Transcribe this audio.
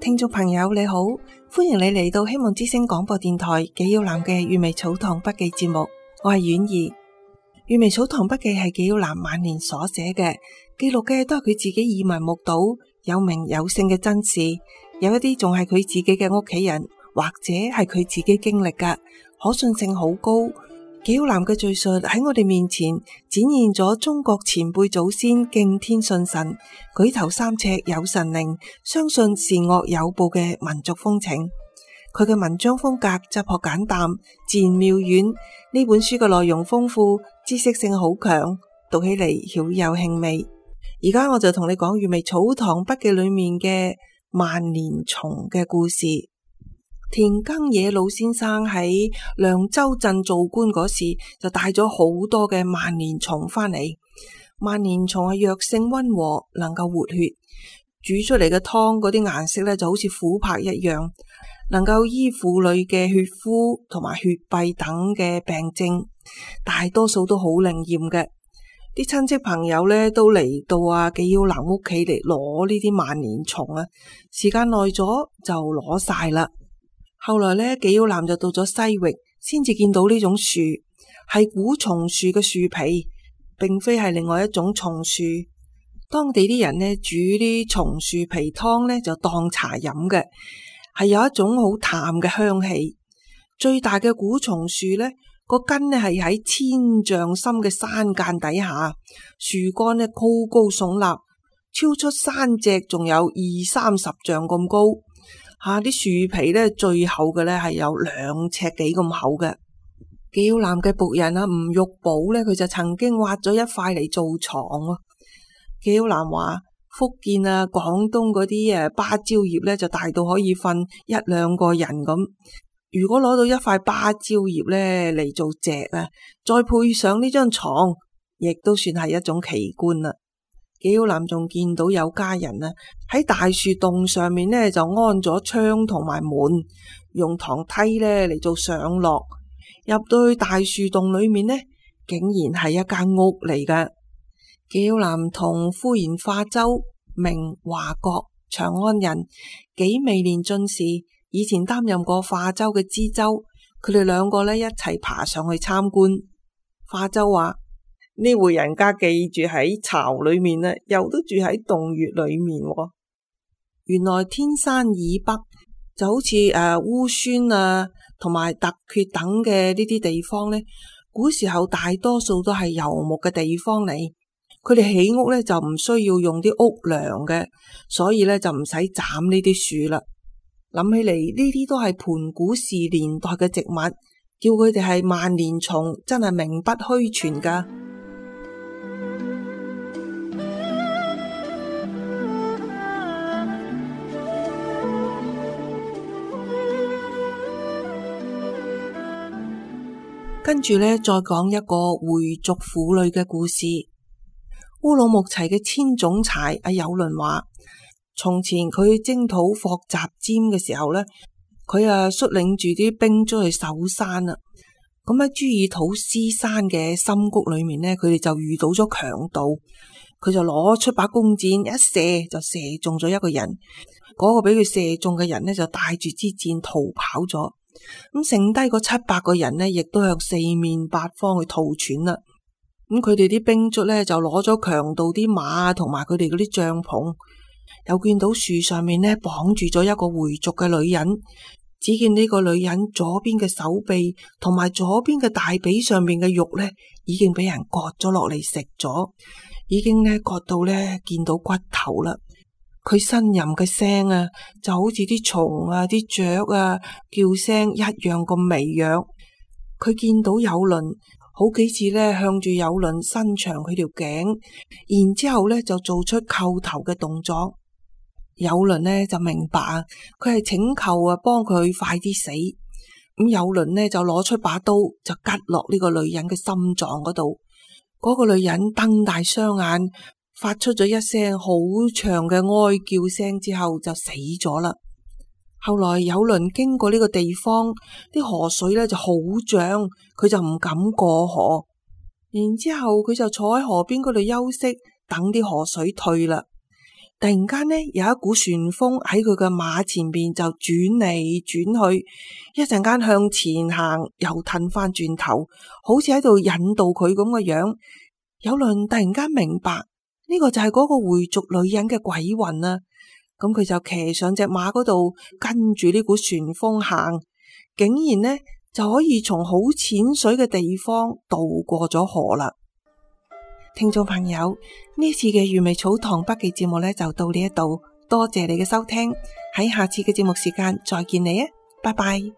聽眾朋友你好，歡迎你嚟到希望之聲廣播電台紀曉嵐嘅閱微草堂筆記節目，我係婉兒。閱微草堂筆記係紀曉嵐晚年所寫嘅，記錄嘅都係佢自己耳聞目睹、有名有姓嘅真事，有一啲仲係佢自己嘅屋企人或者係佢自己經歷嘅，可信性好高。紀曉嵐嘅敘述喺我哋面前展現咗中國前輩祖先敬天信神、舉頭三尺有神靈、相信善惡有報嘅民族風情。佢嘅文章風格質樸簡淡、自然妙遠。呢本書嘅內容豐富，知識性好強，讀起嚟曉有興味。而家我就同你講閱微草堂筆記裏面嘅萬年蟲嘅故事。田耕野老先生喺涼州鎮做官嗰時，就帶咗好多嘅萬年蟲翻嚟。萬年蟲係藥性溫和，能夠活血，煮出嚟嘅湯嗰啲顏色咧就好似琥珀一樣，能夠醫婦女嘅血枯同埋血閉等嘅病症，大多數都好靈驗嘅。啲親戚朋友咧都嚟到紀曉嵐屋企嚟攞呢啲萬年蟲啊，時間耐咗就攞晒啦。後來咧，紀曉嵐就到咗西域，先至見到呢種樹係古松樹嘅樹皮，並非係另外一種松樹。當地啲人呢煮啲松樹皮湯呢就當茶飲嘅，係有一種好淡嘅香氣。最大嘅古松樹呢個根呢係喺千丈深嘅山澗底下，樹幹呢高高聳立，超出山脊仲有20-30丈咁高。啲樹皮咧最厚嘅咧係有2尺幾咁厚嘅。紀曉嵐嘅僕人吳玉寶咧，佢就曾經挖咗一塊嚟做床。紀曉嵐話福建廣東嗰啲芭蕉葉咧就大到可以瞓1-2個人咁。如果攞到一塊芭蕉葉咧嚟做席再配上呢張床，亦都算係一種奇觀啦。紀曉嵐仲見到有家人喺大樹洞上面呢就安咗窗同埋門，用堂梯呢嚟做上落。入到去大樹洞裏面呢，竟然係一間屋嚟㗎。紀曉嵐同夫人化州，名華國，長安人，幾未年進士，以前擔任過化州嘅知州。佢哋兩個呢一齊爬上去參觀。化州話：呢戶人家既住喺巢裏面又都住喺洞穴裏面。原來天山以北就好似烏孫同埋突厥等嘅呢啲地方呢，古時候大多數都係游牧嘅地方嚟。佢哋起屋呢就唔需要用啲屋梁嘅，所以呢就唔使斬呢啲樹啦。諗起嚟呢啲都係盤古時年代嘅植物，叫佢哋係萬年蟲，真係名不虛傳噶。跟住呢，再講一個回族婦女嘅故事。烏魯木齊嘅千總裁有倫話，從前佢去征討霍集占嘅時候呢，佢率領住啲兵卒去守山啦。咁喺朱爾土斯山嘅深谷裏面呢，佢哋就遇到咗強盜，佢就攞出把弓箭一射就射中咗一個人。嗰個俾佢射中嘅人呢，就帶住支箭逃跑咗。咁剩低個700個人呢，亦都向四面八方去逃竄啦。咁佢哋啲兵卒呢，就攞咗強盜啲馬同埋佢哋嗰啲帳篷，又見到樹上面呢綁住咗一個回族嘅女人。只見呢個女人左邊嘅手臂同埋左邊嘅大髀上面嘅肉呢，已經俾人割咗落嚟食咗，已經呢割到呢見到骨頭啦。佢呻吟嘅聲就好似啲蟲啲雀叫聲一樣咁微弱。佢見到有倫好幾次呢向住有倫伸長佢條頸，然之後呢就做出叩頭嘅動作。有倫呢就明白佢係請求幫佢快啲死。咁有倫呢就攞出把刀就拮落呢個女人嘅心臟嗰度。嗰個女人瞪大雙眼，發出咗一聲好長嘅哀叫聲之後就死咗啦。後來有倫經過呢個地方，啲河水呢就好漲，佢就唔敢過河。然之後佢就坐喺河邊嗰度休息，等啲河水退啦。突然間呢，有一股旋風喺佢嘅馬前邊就轉嚟轉去，一陣間向前行，又褪翻轉頭，好似喺度引導佢咁嘅樣。有倫突然間明白呢個就係嗰個回族女人嘅鬼魂啊！咁佢就騎上隻馬嗰度，跟住呢股旋風行，竟然呢就可以從好淺水嘅地方渡過咗河啦。聽眾朋友，呢次嘅粵味草堂筆記節目呢就到呢一度，多謝你嘅收聽，喺下次嘅節目時間再見你啊，拜拜。